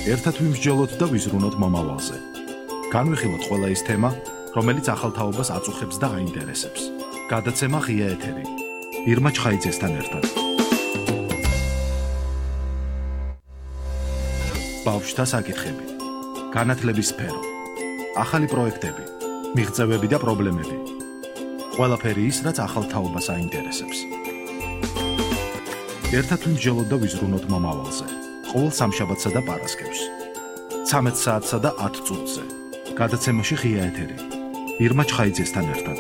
ერთად ვიმსჯელოთ და ვიზრუნოთ მომავალზე. განვიხილოთ ყველა ის თემა, რომელიც ახალ თაობას აწუხებს და აინტერესებს. გადაცემა ღია ეთერი. ირმა ჩხაიძესთან ერთად. ბავშვთა საკითხები, განათლების სფერო, ახალი პროექტები, მიღწევები და პრობლემები. ყველაფერი ის, რაც ახალ თაობას აინტერესებს. ერთად ვიმსჯელოთ და ვიზრუნოთ მომავალზე. ყოველ სამშაბათსა და პარასკევს. 13 საათსა და 10 წუთზე. გადაცემაში ღია ეთერი. ირმა ჩხაიძესთან ერთად.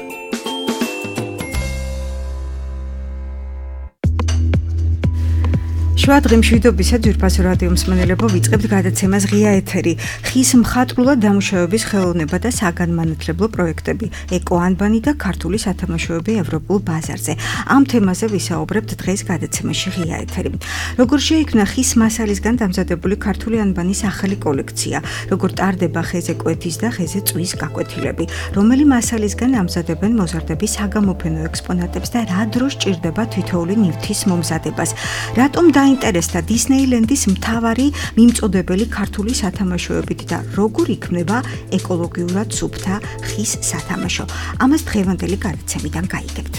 შუადღე მშვიდობისა ძვირფასო რადიო მსმენელებო, ვიწყებთ გადაცემას ღია ეთერი. ხის მხატვრულად დამუშავების ხელოვნება და საგანმანათლებლო პროექტები, ეკო-ანბანი და ქართული სათამაშოები ევროპულ ბაზარზე. ამ თემაზე ვისაუბრებთ დღეს გადაცემაში ღია ეთერი. როგორ შეიქმნა ხის მასალისგან დამზადებული ქართული ანბანის ახალი კოლექცია, როგორ ტარდება ხეზე კვეთის და ხეზე წვის გაკვეთილები, რომელი მასალისგან ამზადებენ მოზარდების საგამოფენო ექსპონატებს და რა დროს ჭირდება თითოეული ნივთის მომზადებას. რატომ დაინტერესდა დისნეილენდის მთავარი მიმწოდებელი ქართული სათამაშოებით და როგორ იქმნება ეკოლოგიურად სუფთა ხის სათამაშო. ამას დღევანდელი გადაცემიდან გაიგებთ.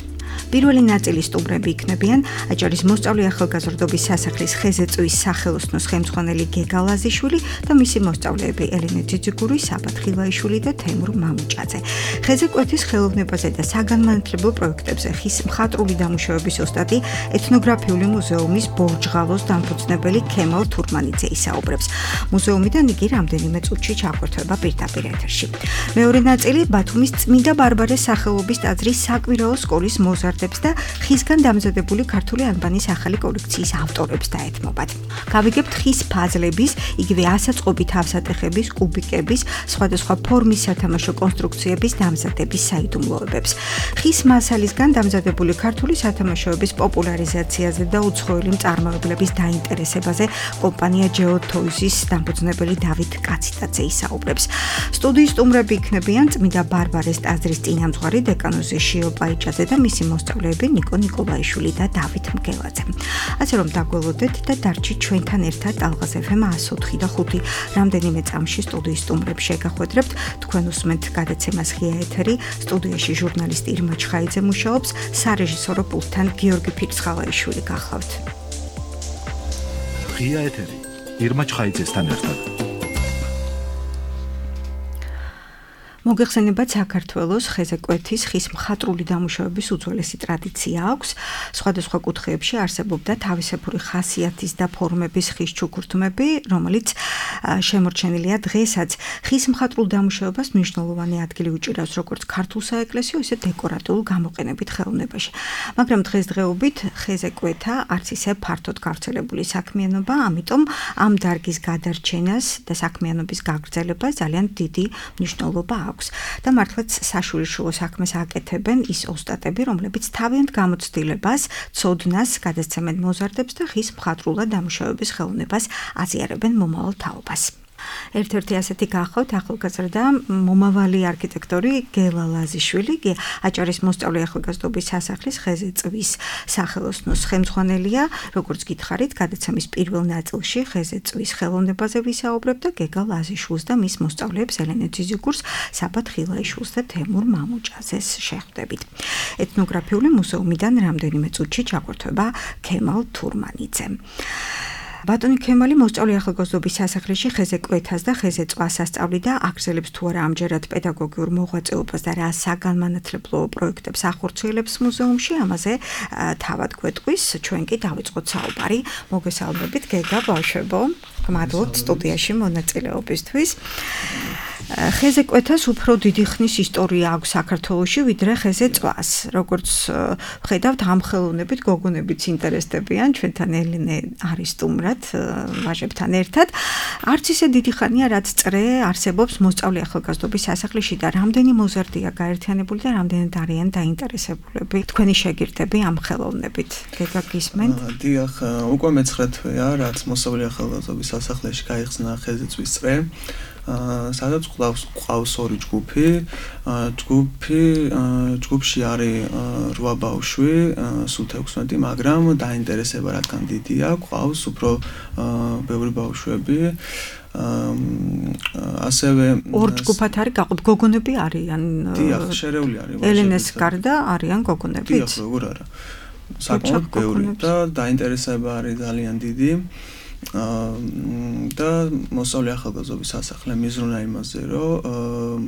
პირველი ნაწილი სტუმრები იქნებიან აჭარის მოსწავლე ახალგაზრდობის სასახლის ხეზე წვის სახელოსნოს ხელმძღვანელი გეგა ლაზიშვილი და მისი მოსწავლეები ელენე ძიძიგური, საბა ხილაიშვილი და თემურ მამუჭაძე. ხეზე კვეთის ხელოვნებაზე და საგანმანათლებლო პროექტებზე ხის მხატვრული დამუშავების ოსტატი ეთნოგრაფიული მუზეუმის ბორჯღალოს დამფუძნებელი ქემალ თურმანიძე ისაუბრებს. მუზეუმიდან იგი რამდენიმე წუთში ჩაგვერთვება პირდაპირ ეთერში. მეორე ნაწილი ბათუმის წმინდა ბარბარეს სახელობის ტაძრის საკვირაო სკოლის მოზარდ და ხისგან დამზადებული ქართული ანბანის ახალი კოლექციის ავტორებს დაეთმობათ. გავიგებთ ხის ფაზლების, იგივე ასაწყობი თავსატეხების, კუბიკების, სხვადასხვა ფორმის სათამაშო კონსტრუქციების დამზადების საიდუმლოებებს. ხის მასალისგან დამზადებული ქართული სათამაშოების პოპულარიზაციაზე და უცხოელი მწარმოებლების დაინტერესებაზე კომპანია GeoToys-ის დამფუძნებელი დავით კაციტაძე ისაუბრებს. სტუდიის სტუმრები იქნებიან წმინდა ბარბარეს ტაძრის წინამძღვარი დეკანოზი შიო პაიჭაძე და მისი მოსწავლეები ნიკო ნიკოლაიშვილი და დავით მგელაძე. ასე რომ დაგველოდეთ და დარჩით ჩვენთან ერთად ალღაზ FM 104 და 5 რამდენიმე წამში სტუდიის სტუმრებს შეგახვედრებთ. თქვენ უსმენთ გადაცემას ღია ეთერი. სტუდიაში ჟურნალისტი ირმა ჩხაიძე მუშაობს, სარეჟისორო პულტთან გიორგი ფირცხალაიშვილი გახლავთ. ღია ეთერი. ირმა ჩხაიძესთან ერთად. მოგეხსენებათ, საქართველოს ხეზე კვეთის ხის მხატვრული დამუშავების უძველესი ტრადიცია აქვს. სხვადასხვა კუთხეებში არსებობდა თავისებური ხასიათის და ფორმების ხის ჩუქურთმები, რომელიც შემორჩენილია დღესაც. ხის მხატვრულ დამუშავებას მნიშვნელოვანი ადგილი უჭირავს როგორც ქართულ საეკლესიო, ისე დეკორატიულ გამოყენებით ხელოვნებაში. მაგრამ დღესდღეობით ხეზე კვეთა არც ისე ფართოდ გავრცელებული საქმიანობა, ამიტომ ამ დარგის გადარჩენას და საქმიანობის გაგრძელებას ძალიან დიდი მნიშვნელობა აქვს. და მართლაც საშვილიშვილო საქმეს აკეთებენ ის ოსტატები, რომლებიც თავიანთ გამოცდილებას, ცოდნას გადასცემენ მოზარდებს და ხის მხატვრულად დამუშავების ხელოვნებას აზიარებენ მომავალ თაობას. ერთ-ერთი ასეთი გახლავთ ახალგაზრდა მომავალი არქიტექტორი გელა ლაზიშვილი, აჭარის მოსწავლე ახალგაზრდობის სასახლის ხეზე წვის სახელოსნოს ხელმძღვანელია. როგორც გითხარით, გადაცემის პირველ ნაწილში ხეზე წვის ხელოვნებაზე ვისაუბრებთ და გეგა ლაზიშვილს და მის მოსწავლეებს ელენე ძიძიგურს, საბა ხილაიშვილს და თემურ მამუჭაძეს შეხვდებით. ეთნოგრაფიული მუზეუმიდან რამდენიმე წუთში ჩაგვერთვება ქემალ თურმანიძე. ბატონი ქემალი მოსწავლე ახალგაზრდობის სასახლეში ხეზე კვეთას და ხეზე წვას ასწავლიდა, აგრძელებს თუ არა ამჯერად პედაგოგიურ მოღვაწეობას და რა საგანმანათლებლო პროექტებს ახორციელებს მუზეუმში, ამაზე თავად გვეტყვის, ჩვენ კი დავიწყოთ საუბარი. მოგესალმებით გეგა ბავშვებო, გმადლობთ სტუდიაში მონაწილეობისთვის. ხეზე კვეთას უფრო დიდი ხნის ისტორია აქვს საქართველოში, ვიდრე ხეზე წვას. როგორც ვხედავთ, ამ ხელოვნებით გოგონებიც ინტერესდებიან, ჩვენთან ელენე არის სტუმრად, ვაჟებთან ერთად. არც ისე დიდი ხანია, რაც წრე არსებობს მოსწავლე ახალგაზრდობის სასახლეში და რამდენი მოზარდია გაერთიანებული და რამდენად არიან დაინტერესებულები თქვენი შეგირდები ამ ხელოვნებით. გეგა გისმენთ? დიახ, უკვე მე-9 თვეა, რაც მოსწავლე ახალგაზრდობის სასახლეში გაიხსნა ხეზე წვის წრე. სადაც ყავს ორი ჯგუფი. ჯგუფში არის 8 ბავშვი, სულ 16, მაგრამ დაინტერესება რადგან დიდია, ყავს უფრო ბევრი ბავშვები. ასევე ორ ჯგუფად არის გაყოფილი, გოგონები არიან. დიახ, შერეული არის. ელენეს გარდა არიან გოგონებიც. დიახ, როგორ არა. საკმაოდ ბევრი და დაინტერესება არის ძალიან დიდი. და მოსწავლე ახალგაზრდობის სასახლე მიზრუნა იმაზე, რომ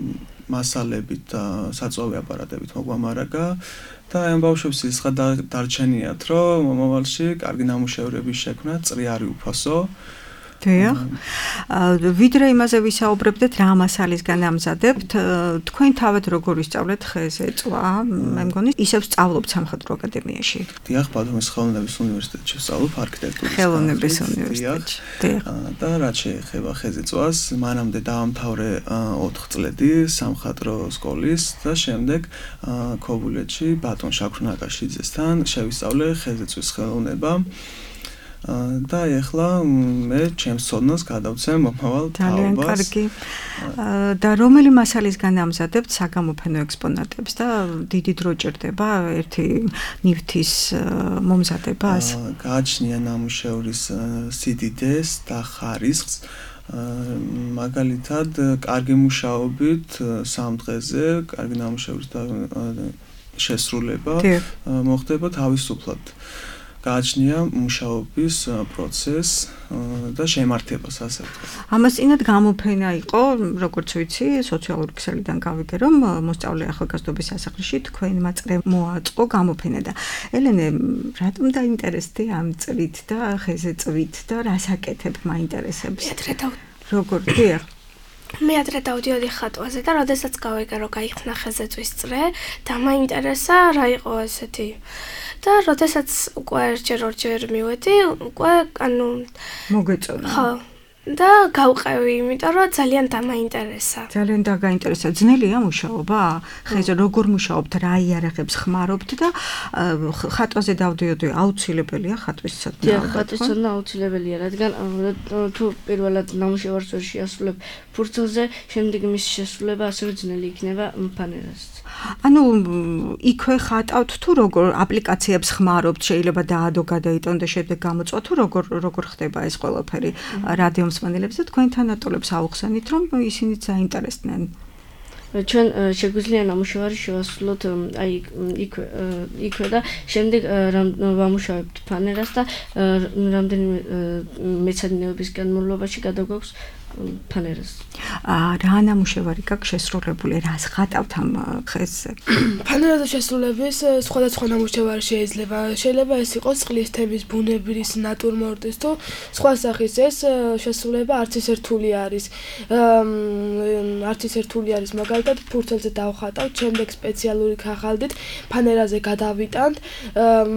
მასალებით და საწვავი აპარატებით მოგვამარაგა და ამ ბავშვებს ის დარჩენიათ, რომ მომავალში კარგი ნამუშევრების შექმნა წრიარი უფასო. დიახ. ვიდრე იმაზე ვისაუბრებდეთ, რა მასალისგან ამზადებთ, თქვენ თავად როგორ ისწავლეთ ხეზე წვა? მე მგონი ისევ სწავლობთ სამხატვრო აკადემიაში. დიახ, ბათუმის ხელოვნების უნივერსიტეტში ვსწავლობ არქიტექტურის. ხელოვნების უნივერსიტეტში. დიახ. და რაც შეეხება ხეზე წვას, მანამდე დავამთავრე 4 წლები სამხატვრო სკოლის და შემდეგ ქობულეთში ბატონ შაქრ ნაკაშიძესთან შევისწავლე ხეზე წვის ხელოვნება. და ეხლა მე ჩემს ცოდნას გადავცემ მომავალ თაობას. ძალიან კარგი. და რომელი მასალისგან ამზადებთ საგამოფენო ექსპონატებს და დიდი დრო ჭირდება ერთი ნივთის მომზადებას? გააჩნია ნამუშევრის სიდიდეს და ხარისხს. მაგალითად, კარგი მუშაობით 3 დღეზე კარგი ნამუშევრის შესრულება მოხდება თავისუფლად. გააჩნია მუშაობის პროცესს და შემართებას ასე ვთქვათ. ამას წინათ გამოფენა იყო, როგორც ვიცი, სოციალური ქსელიდან გავიგე, რომ მოსწავლე ახალგაზრდობის სასახლეში თქვენმა წრემ მოაწყო გამოფენა და ელენე, რატომ დაინტერესდი ამ წრით და ხეზე წვით და რას აკეთებ მაინტერესებს? როგორ დიახ? მე ადრე დავდიოდი ხატვაზე და როდესაც გავიგე, რომ გაიხსნა ხეზე წვის წრე და მაინტერესა რა იყო ასეთი. და როდესაც უკვე ორჯერ მივედი, უკვე მოგეწონა. ხო. და გავყევი, იმიტომ რომ ძალიან დამაინტერესა. ძალიან დაგაინტერესა. ძნელია მუშაობა? ხეზე როგორ მუშაობთ, რა იარაღებს ხმარობთ და ხატვაზე დავდიოდი, აუცილებელია ხატვის ცოდნა. დიახ, ხატვის ცოდნა აუცილებელია, რადგან თუ პირველად ნამუშევარს ვერ შეასრულებ ფურცელზე, შემდეგ მის შესრულება ასევე ძნელი იქნება ფანერას. ანუ იქვე ხატავთ თუ როგორ აპლიკაციებს ხმარობთ, შეიძლება დაადო გადაიტონ და შემდეგ გამოწვა თუ როგორ ხდება ეს ყველაფერი რადიო მსმენელებს და თქვენთან ატოლებს აუხსენით, რომ ისინიც აინტერესდნენ. ჩვენ შეგვიძლია ნამუშევარი შევასრულოთ აი იქვე და შემდეგ ვამუშავებთ ფანერას და რამდენიმე მეცადინეობის განმავლობაში გადაგვაქვს ფანერას. რა ნამუშევარი გაქვს შესრულებული, რას ხატავთ ამ ხეზე? ფანერაზე შესრულების სხვადასხვა ნამუშევარი შეიძლება ეს იყოს წყლის თემის, ბუნებრივის, ნატურმორტის თუ სხვა სახის ეს შესრულება არც ის ერთული არის. მაგალითად ფურცელზე დავხატავთ, შემდეგ სპეციალური ქაღალდით ფანერაზე გადავიტანთ,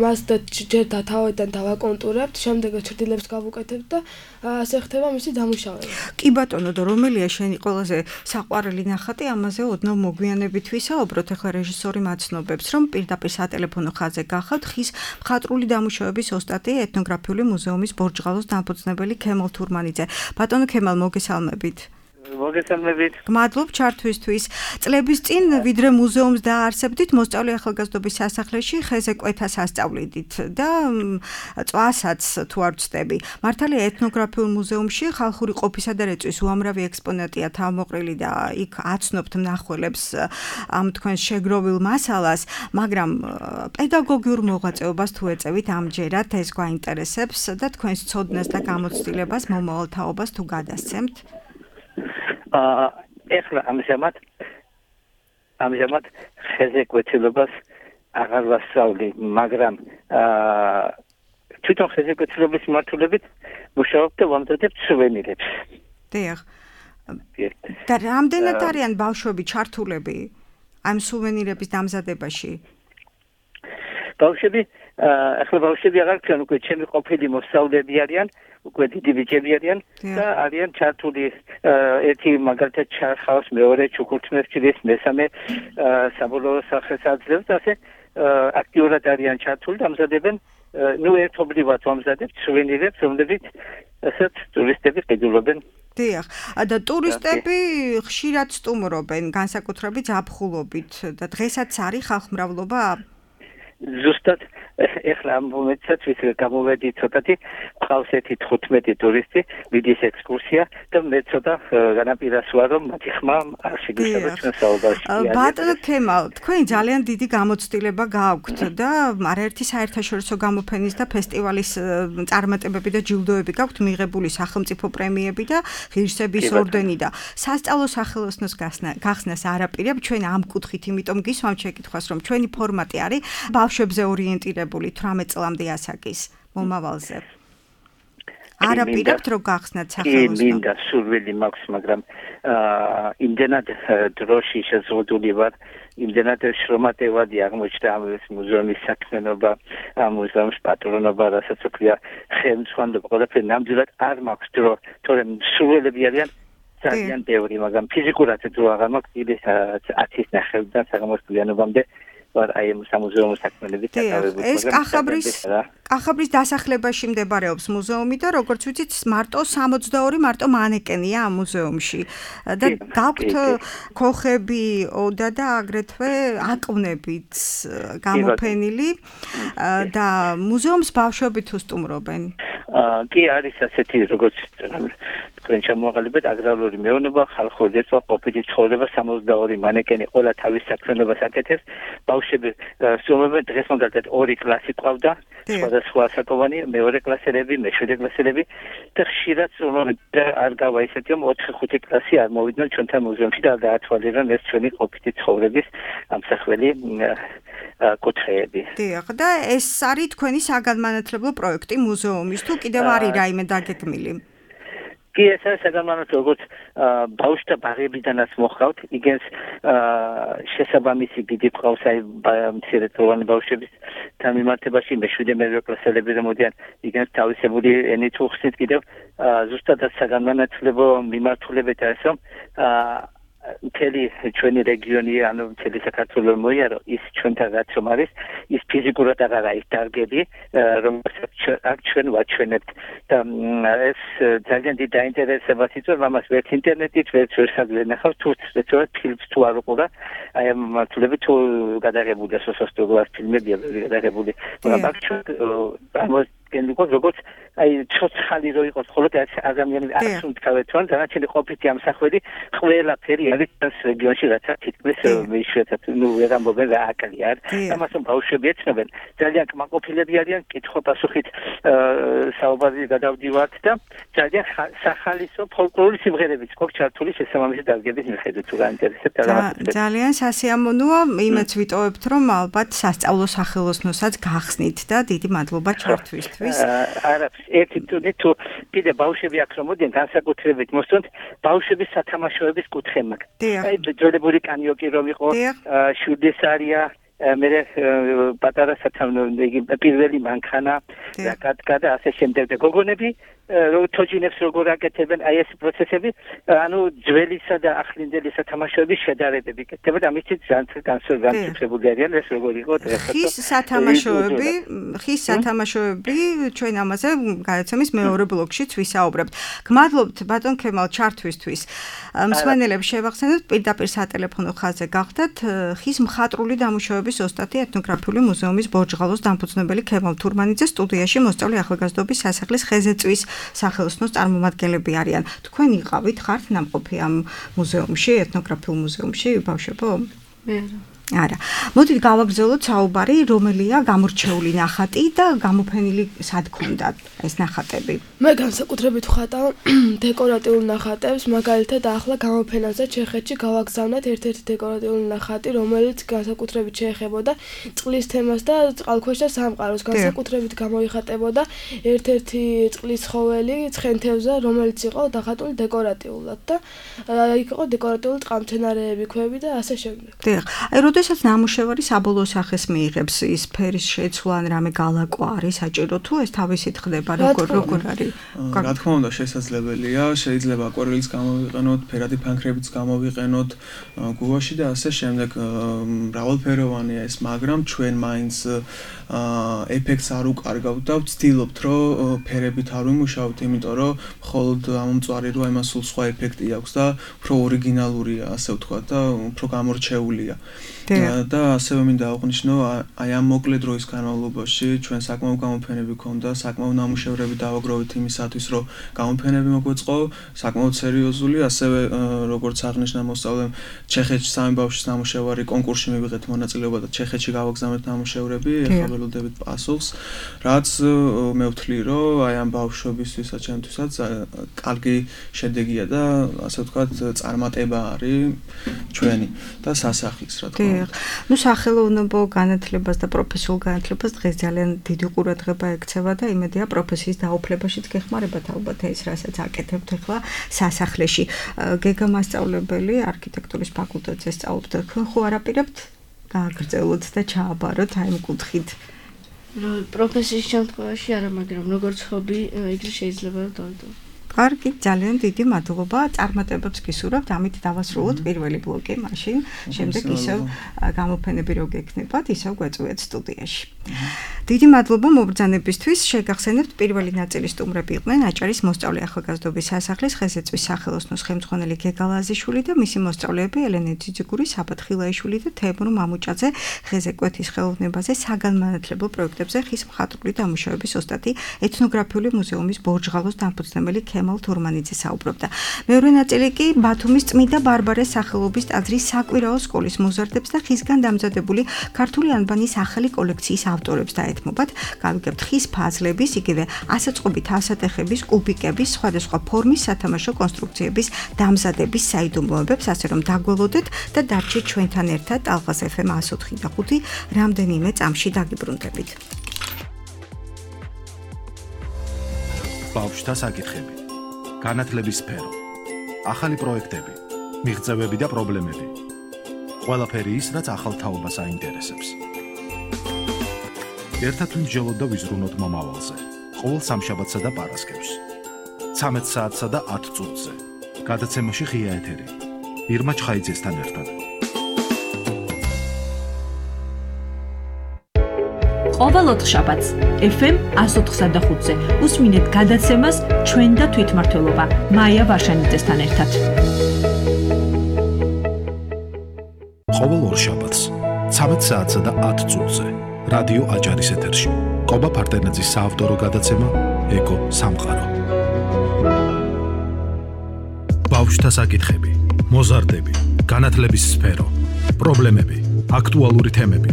მას ჯერ დათავიდან დავაკონტურებთ, შემდეგ ჩრდილებს გავუკეთებთ და ასე ხდება მისი დამუშავება. კი ბატონო, და რომელია შენი ყველაზე საყვარელი ნახატი, ამაზე ოდნავ მოგვიანებით ვისაუბროთ. ახლა რეჟისორი მაცნობებს, რომ პირდაპირ სატელეფონო ხაზზე გახავთ ხის მხატვრული დამუშავების ოსტატი ეთნოგრაფიული მუზეუმის ბორჯღალოს დამფუძნებელი ქემალ თურმანიძე. ბატონო ქემალ, მოგესალმებით. მოგესალმებით. გმადლობ ჩართვისთვის. წლების წინ ვიდრე მუზეუმს დაარსებდით, მოსწავლე ახალგაზრდობის სასახლეში ხეზე კვეთას ასწავლიდით და წვასაც თუ არ ვცდები. მართალია ეთნოგრაფიულ მუზეუმში ხალხური ყოფისა და რეწვის უამრავი ექსპონატია თავმოყრილი და იქ აცნობთ მნახველებს ამ თქვენს შეგროვილ მასალას, მაგრამ პედაგოგიურ მოღვაწეობას თუ ეწევით ამჯერად ეს გვაინტერესებს და თქვენს ცოდნას და გამოცდილებას მომავალ თაობას თუ გადასცემთ. ეხლა ამჟამად ხეზე კვეთილობას აღარ ვასწავლი, მაგრამ თვითონ ხეზე კვეთილობის მიმართულებით მუშაობ და ვამზადებ სუვენირებს. დიახ. და რამდენად არიან ბავშვები ჩართულები ამ სუვენირების დამზადებაში? ბავშვები აღარ თქვენ, უკვე ჩემი ყოფილი მოსწავლეები არიან, უკვე დიდი ბიჭები არიან და არიან ჩართული ერთი მაგალითად ჩარხავს, მეორე ჩუქურთმებს ჭრის, მესამე საბოლოო სახეს აძლევს, ასე აქტიურად არიან ჩართული და ამზადებენ, ერთობლივად ვამზადებთ სუვენირებს, რომლებიც ასეთ ტურისტები ყიდულობენ დიახ, და ტურისტები ხშირად სტუმრობენ, განსაკუთრებით ზაფხულობით და დღესაც არის ხალხმრავლობა? ზუსტად ეხლა ამ მომენტსაც გამოვედი ცოტათი, ყავს ერთი 15 ტურისტი, მიდის ექსკურსია და მე ცოტა განაპირას ვარ, რომ მათი ხმა არ შეგეშალოთ ჩვენ საუბარში. ბატონო ქემალ, თქვენ ძალიან დიდი გამოცდილება გააქვთ და არაერთი საერთაშორისო გამოფენის და ფესტივალის წარმატებები და ჯილდოები გაქვთ მიღებული სახელმწიფო პრემიები და ღირსების ორდენი და სასწავლო სახელოსნოს გახსნას არაპირებ ჩვენ ამ კუთხით, იმიტომ გისვამთ შეკითხვას, რომ ჩვენი ფორმატი არის ბავშვებზე ორიენტირებული 18 წლამდე ასაკის მომავალზე. არაპირებთ რომ გახსნათ სახელოსნო. მინდა სურვილი მაქვს, მაგრამ იმდენად დროში შეზღუდული ვარ, იმდენად შრომატევადი აღმოჩნდა ამ მუზეუმის საქმიანობა, ამ მუზეუმის პატრონობა, რასაც ვქვია, ხელმძღვანელობა, ყველაფერი ნამდვილად არ მაქვს დრო, თორემ სურვილები არიან ძალიან ბევრი, მაგრამ ფიზიკურად დრო აღარ მაქვს, ის 10-ის ნახევრიდან საღამოსწლიანობამდე ვარ აი ამ სამუზეუმო საქმიანობით დაკავებული. ეს კახაბრის დასახლებაში მდებარეობს მუზეუმი და როგორც ვიცით, მარტო 62 მარტო მანეკენია ამ მუზეუმში. და გაქვთ ქოხები, ოდა და აგრეთვე აკვნებით გამოფენილი და მუზეუმს ბავშვები თუ სტუმრობენ. კი არის ასეთი როგორც თქვენ ჩამოაყალიბეთ აგრარული მეურნეობა, ხალხური დაცვა, ყოფილი ცხოვრება, 62 მანეკენი ყველა თავის საქმიანობას აკეთებს. ბავშვები სტუმრობენ, დღეს მაგალითად 2 კლასი ყავდა, სხვადასხვა ასაკოვანი, მეორე კლასელები, მეშვიდე კლასელები და ხშირად სტუმრობენ და არ გავა ისეთი, რომ 4-5 კლასი არ მოვიდნენ ჩვენთან მუზეუმში და დაათვალიერონ ეს ჩვენი ყოფილი ცხოვრების ამსახველი კუთხეები. დიახ, და ეს არის თქვენი საგანმანათლებლო პროექტი მუზეუმის, თუ კიდევ არის რაიმე დაგეგმილი? კი, ეს არის საგანმანათლებლო, როგორც ბავშვთა ბაღებიდანაც მოხავთ, იგენს შესაბამისი გიდი ყავს აი მცირედწლოვანი ბავშვების დამიმართებაში, მეშვიდე მერვე კლასელები რომოდიან, იგენს თავისებური ენით უხსნით კიდევ ზუსტადად საგანმანათლებლო მიმართულებით არის, რომ მთელი ჩვენი რეგიონი, ანუ მთელი საქართველო მოიარო, ის ჩვენთან რაც რომ არის, ის ფიზიკურად აღარ არის დარგები, რომელსაც ჩვენ ვაჩვენებთ და ეს ძალიან დიდი დაინტერესებას იწვევს, ამას ვერც ინტერნეტით, ვერც ვერსაგლენახავ, თუ სწორედ ფილმს თუ არ უყურა, აი ამ მართლები თუ გადაღებულია სოციალურ ფილმებია გადაღებული, მაგრამ ჩვენ ამას გენდიკოს როგორც აი ცოცხალი რო იყოს, ხოლო ადამიანი არ უნდათ რომ დანარჩენი ყოფითი ამსახველი ყველაფერი არის ეს რეგიონში რაცა თითქმის მეშვიდე ნუ ვერ ამბობენ რა აკალი არ ამას ბავშვები ეცნობენ ძალიან კმაყოფილები არიან კითხვა-პასუხით საუბარი გადავდივართ და ძალიან სახალისო ფოლკლორის სიმღერებიც გვაქვს ჩართული შესაბამისი დარგების მიხედვით თუ გაინტერესებთ ძალიან სასიამოვნოა იმეც ვიტოვებთ რომ ალბათ სასწავლო სახელოსნოსაც გახსნით და დიდი მადლობა ჩართვისთვის არაფერს ერთი თუ კიდე ბავშვები აქ რომ მოდიან განსაკუთრებით მოსწონთ ბავშვების სათამაშოების კუთხე მაქვს. აი ძველებური კანიოკი რომ იყო შუდესარია მე პატარა პირველი მანქანა და ასე შემდეგ და გოგონები თოჯინებს როგორ აკეთებენ აი ეს პროცესები ანუ ძველისა და ახლინდელი სათამაშოების შედარებები კეთდებოდა ამით განსაკუთრებული არიან ეს როგორ იყო ხის სათამაშოები ჩვენ ამაზე გადაცემის მეორე ბლოკშიც ვისაუბრებთ. გმადლობთ ბატონ ქემალ ჩართვისთვის. მსმენელებს შევახსენოთ პირდაპირ სატელეფონო ხაზზე გახდათ ხის მხატვრული დამუშავების ოსტატი ეთნოგრაფიული მუზეუმის ბორჯღალოს დამფუძნებელი ქემალ თურმანიძე სტუდიაში მოსწავლე ახალგაზრდობის სასახლის ხეზეწვის სახელოსნოს წარმომადგენლები არიან. თქვენ იყავით ხართ ნამყოფი ამ მუზეუმში, ეთნოგრაფიულ მუზეუმში, ბავშვებო? მე არა. მოდით გავაგრძელოთ საუბარი, რომელია გამორჩეული ნახატი და გამოფენილი სად ქონდა ეს ნახატები. მე განსაკუთრებით ვხატავ დეკორატიულ ნახატებს, მაგალითად ახლა გამოფენაზე ჩეხეთში გავაგზავნეთ ერთ-ერთი დეკორატიული ნახატი, რომელიც განსაკუთრებით შეეხებოდა წყლის თემას და წყალქვეშა სამყაროს. განსაკუთრებით გამოიხატებოდა ერთ-ერთი წყლის ცხოველი ცხენთევზა, რომელიც იყო დახატული დეკორატიულად და იქ იყო დეკორატიული წყალმცენარეები, ქვები და ასე შემდეგ. დიახ. აი როდესაც ნამუშევარი საბოლოო სახეს მიიღებს, ის ფერის შეცვლა ან რამე გალაკვა არის საჭირო თუ ეს თავისით ხდება, როგორ არის? რა თქმა უნდა, შესაძლებელია, შეიძლება აკვარელის გამოვიყენოთ, ფერადი ფანქრებიც გამოვიყენოთ გუაში და ასე შემდეგ. მრავალფეროვანია ეს, მაგრამ ჩვენ მაინც ეფექტს არ უკარგავთ და ვცდილობთ, რომ ფერებით არ ვიმუშაოთ, იმიტომ რომ მხოლოდ ამომწვარი როა იმას სულ სხვა ეფექტი აქვს და უფრო ორიგინალურია, ასე ვთქვათ და უფრო გამორჩეულია. და ასევე მინდა აღვნიშნო, აი ამ მოკლე დროის განმავლობაში ჩვენ საკმაო გამოფენები ქონდა, საკმაო ნამუშევრები დავაგროვეთ იმისათვის, რომ გამოფენები მოგვეწყო, საკმაოდ სერიოზული, ასევე როგორც აღნიშნა მოსწავლემ, ჩეხეთში სამი ბავშვის ნამუშევარი კონკურსში მივიღეთ მონაწილეობა და ჩეხეთში გავაგზავნეთ ნამუშევრები, ეხლა ველოდებით პასუხს, რაც მე ვთვლი, რომ აი ამ ბავშვებისთვისაც, ჩემთვისაც კარგი შედეგია და ასე ვთქვათ, წარმატება არის ჩვენი და სასახლის, რა თქმა უნდა. ნუ სახელოვნებო განათლებას და პროფესიულ განათლებას დღეს ძალიან დიდი ყურადღება ექცევა და იმედია პროფესიის დაუფლებაშიც გეხმარებათ ალბათ ეს, რასაც აკეთებთ ახლა სასახლეში. გეგა მასწავლებელი არქიტექტურის ფაკულტეტზე სწავლობთ, ხო არაპირებთ გააგრძელოთ და ჩააბაროთ აი ამ კუთხით? პროფესიის შემთხვევაში არა, მაგრამ როგორც ჰობი იგი შეიძლება დავიდო. კარგი, ძალიან დიდი მადლობა. წარმატებებს გისურვებთ. ამით დავასრულოთ პირველი ბლოკი, მაშინ შემდეგ ისევ გამოფენები რო გექნებათ, ისევ გვეწვიეთ სტუდიაში. დიდი მადლობა მობრძანებისთვის. შეგახსენებთ, პირველი ნაწილის სტუმრები იყვნენ აჭარის მოსწავლე ახალგაზრდობის სასახლის ხეზეწვის სახელოსნოს ხელმძღვანელი გეგა ლაზიშვილი და მისი მოსწავლეები ელენე ძიძიგური, საბათ ხილაიშვილი და თეიმურ მამუჭაძე, ხეზეკვეთის ხელოვნებაზე, საგანმანათლებლო პროექტებზე ხის მხატვრული დამუშავების ოსტატი, ეთნოგრაფიული მუზეუმის ბორჯღალოს დამფუძნებელი კემალ თურმანიძე საუბრობდა. მეორე ნაწილი კი ბათუმის წმიდა ბარბარეს სახელობის ტაძრის საკვირაო სკოლის მოზარდებს და ხისგან დამზადებული ქართული ანბანის ახალი კოლექციის ავტორებს დაეთმობათ. გავიგებთ ხის ფაზლების, იგივე ასაწყობით ასატეხების, კუბიკების, სხვადასხვა ფორმის სათამაშო კონსტრუქციების დამზადების საიდუმლოებებს, ასე რომ დაგველოდეთ და დარჩით ჩვენთან ერთად ალღას FM 104 და 5 რამდენიმე წამში დაგიბრუნდებით. ბავშვთა საკითხები, განათლების სფერო, ახალი პროექტები, მიღწევები და პრობლემები. ყველაფერი ის, რაც ახალ თაობას აინტერესებს. ერთად ვიმსჯელოთ და ვიზრუნოთ მომავალზე. ყოველ სამშაბათსა და პარასკევს. 13 საათსა და 10 წუთზე. გადაცემაში ღია ეთერი. ირმა ჩხაიძესთან ერთად. ყოველ ოთხშაბათს FM 104.5-ზე უსმინეთ გადაცემას ჩვენ და თვითმმართველობა მაია ვარშანიძესთან ერთად. ყოველ ორშაბათს 13 საათსა და 10 წუთზე რადიო აჭარის ეთერში. კობა ფარტენაძის საავტორო გადაცემა ეკო სამყარო. ბავშვთა საკითხები, მოზარდები, განათლების სფერო, პრობლემები, აქტუალური თემები,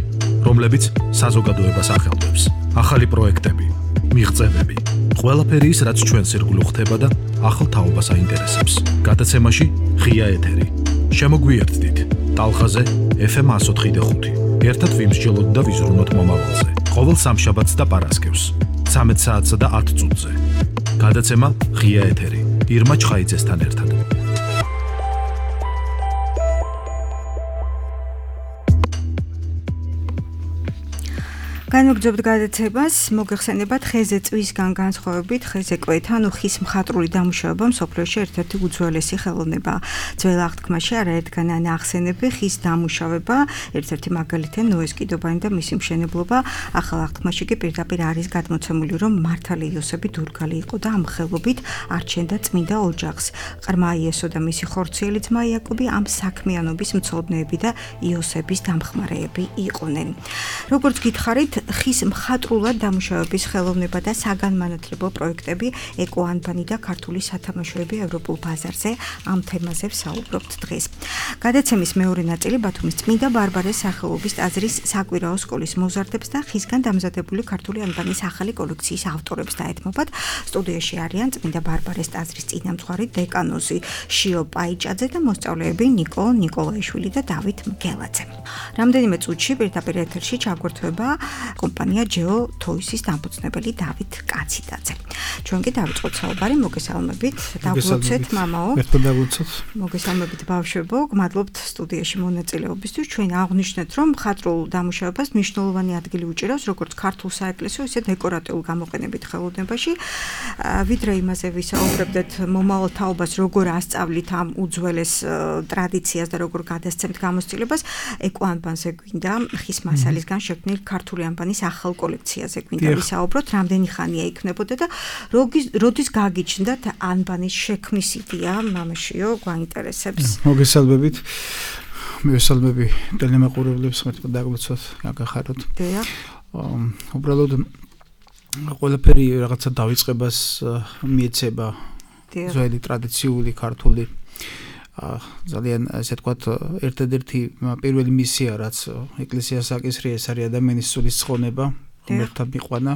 რომლებიც საზოგადოებას ახელვებს, ახალი პროექტები, მიღწევები, ყველაფერი ის, რაც ჩვენს ირგვლივ ხდება და ახალ თაობას აინტერესებს. გადაცემაში ღია ეთერი. შემოგვიერთდით ტალღაზე FM 104.5. ერთად ვიმსჯელოთ და ვიზრუნოთ მომავალზე. ყოველ სამშაბათს და პარასკევს 13 საათსა და 10 წუთზე. გადაცემა ღია ეთერი. ირმა ჩხაიძესთან ერთად. განვაგრძობთ გადაცემას, მოგეხსენებათ ხეზე წვისგან განსხვავებით ხეზე კვეთა, ანუ ხის მხატვრული დამუშავება მსოფლიოში ერთ-ერთი უძველესი ხელოვნებაა. ძველ აღთქმაში არაერთგან ახსენები ხის დამუშავება, ერთ-ერთი მაგალითია ნოეს კიდობანი და მისი მშენებლობა. ახალ აღთქმაში კი პირდაპირ არის გადმოცემული, რომ მართალი იოსები დურგალი იყო და ამ ხელობით არჩენდა წმინდა ოჯახს. ყრმა იესო და მისი ხორციელი ძმა იაკობი ამ საქმიანობის მცოდნეები და იოსების დამხმარეები იყვნენ. როგორც გითხარით, ხის მხატვრულად დამუშავების ხელოვნება და საგანმანათლებლო პროექტები, ეკო ანბანი და ქართული სათამაშოები ევროპულ ბაზარზე ამ თემაზე ვსაუბრობთ დღეს. გადაცემის მეორე ნაწილი ბათუმის წმინდა ბარბარეს სახელობის ტაძრის საკვირაო სკოლის მოზარდებს და ხისგან დამზადებული ქართული ანბანის ახალი კოლექციის ავტორებს დაეთმობათ. სტუდიაში არიან წმინდა ბარბარეს ტაძრის წინამძღვარი დეკანოზი შიო პაიჭაძე და მოსწავლეები ნიკო ნიკოლაიშვილი და დავით მგელაძე. რამდენიმე წუთში პირდაპირ ეთერში ჩაგვერთვება კომპანია Geo Toys-ის დამფუძნებელი დავით კაციდაძე. ჩვენ კი დავიწყოთ საუბარი, მოგესალმებით, დაგვოცეთ მამაო. მოგესალმებით ბავშვებო, გმადლობთ სტუდიაში მონაწილეობისთვის. ჩვენ აღვნიშნეთ, რომ მხატვრულ დამუშავებას მნიშვნელოვანი ადგილი უჭირავს როგორც ქართულ საეკლესიო, ისე დეკორატიულ გამოყენებით ხელოვნებაში. ვიდრე იმაზე ვისაუბრებდეთ მომავალ თაობას, როგორ ასწავლით ამ უძველეს ტრადიციას და როგორ გადასცემთ გამოცდილებას, ეკოანბანზე გვინდა ხის მასალისგან შექმნილ ქართული ანბანის ახალ კოლექციაზე გვინდა ვისაუბროთ, რამდენი ხანია იქნებოდა და როდის გაგიჩნდათ ანბანის შექმნის იდეა, მამაშიო, გვაინტერესებს. მოგესალმებით. მივესალმები ტელემაყურებლებს, მეთქვა დაგვიცოთ, გაგახაროთ. დიახ. უბრალოდ ყველაფერი რაღაცა დავიწყებას მიეცება ძველი ტრადიციული ქართული ძალიან ესე ვთქვათ ერთადერთი პირველი მისია რაც ეკლესიას აკისრია ეს არის ადამიანის სულის ცხონება, ღმერთთან მიყვანა,